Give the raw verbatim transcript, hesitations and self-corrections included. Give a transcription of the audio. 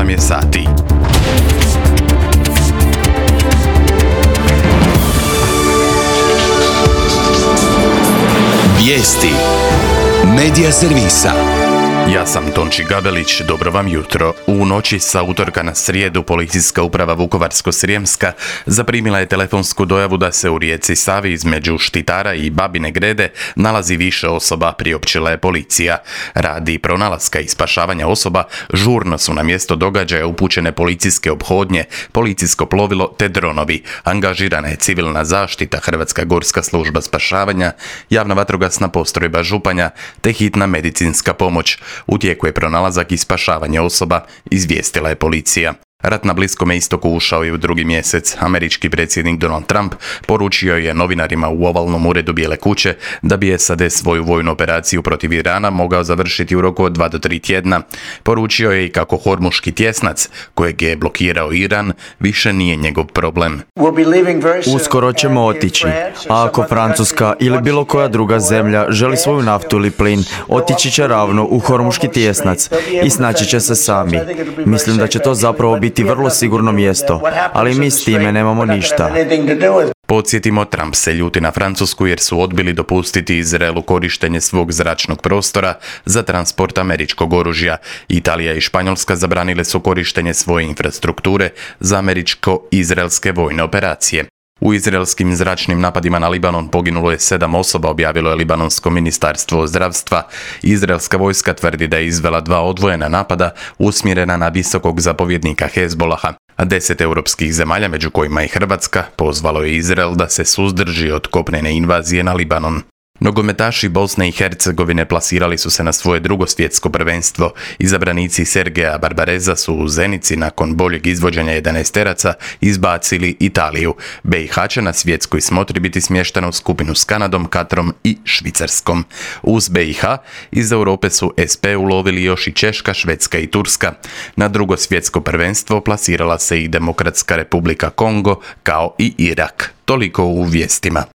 osam je sati. Vijesti Medija servisa. Ja sam Tonči Gabelić, dobro vam jutro. U noći sa utorka na srijedu Policijska uprava Vukovarsko-srijemska zaprimila je telefonsku dojavu da se u rijeci Savi između Štitara i Babine Grede nalazi više osoba, priopćila je policija. Radi pronalaska i spašavanja osoba žurno su na mjesto događaja upućene policijske ophodnje, policijsko plovilo te dronovi. Angažirana je civilna zaštita, Hrvatska gorska služba spašavanja, javna vatrogasna postrojba Županja te hitna medicinska pomoć. U tijeku je pronalazak i spašavanje osoba, izvijestila je policija. Rat na Bliskome istoku ušao je u drugi mjesec. Američki predsjednik Donald Trump poručio je novinarima u ovalnom uredu Bijele kuće da bi S A D svoju vojnu operaciju protiv Irana mogao završiti u roku od dva do tri tjedna. Poručio je i kako Hormuški tjesnac, kojeg je blokirao Iran, više nije njegov problem. Uskoro ćemo otići, a ako Francuska ili bilo koja druga zemlja želi svoju naftu ili plin, otići će ravno u Hormuški tjesnac i snaći će se sami. Mislim da će to zapravo biti vrlo sigurno mjesto, ali mi s time nemamo ništa. Podsjetimo, Trump se ljuti na Francusku jer su odbili dopustiti Izraelu korištenje svog zračnog prostora za transport američkog oružja. Italija i Španjolska zabranile su korištenje svoje infrastrukture za američko-izraelske vojne operacije. U izraelskim zračnim napadima na Libanon poginulo je sedam osoba, objavilo je Libanonsko ministarstvo zdravstva. Izraelska vojska tvrdi da je izvela dva odvojena napada usmjerena na visokog zapovjednika Hezbolaha. A deset europskih zemalja, među kojima i Hrvatska, pozvalo je Izrael da se suzdrži od kopnene invazije na Libanon. Nogometaši Bosne i Hercegovine plasirali su se na svoje drugo svjetsko prvenstvo. Izabranici Sergeja Barbareza su u Zenici nakon boljeg izvođenja jedanaesteraca izbacili Italiju. B i H će na svjetskoj smotri biti smještena u skupinu s Kanadom, Katrom i Švicarskom. Uz B i H iz Europe su S P ulovili još i Češka, Švedska i Turska. Na drugo svjetsko prvenstvo plasirala se i Demokratska Republika Kongo kao i Irak. Toliko u vijestima.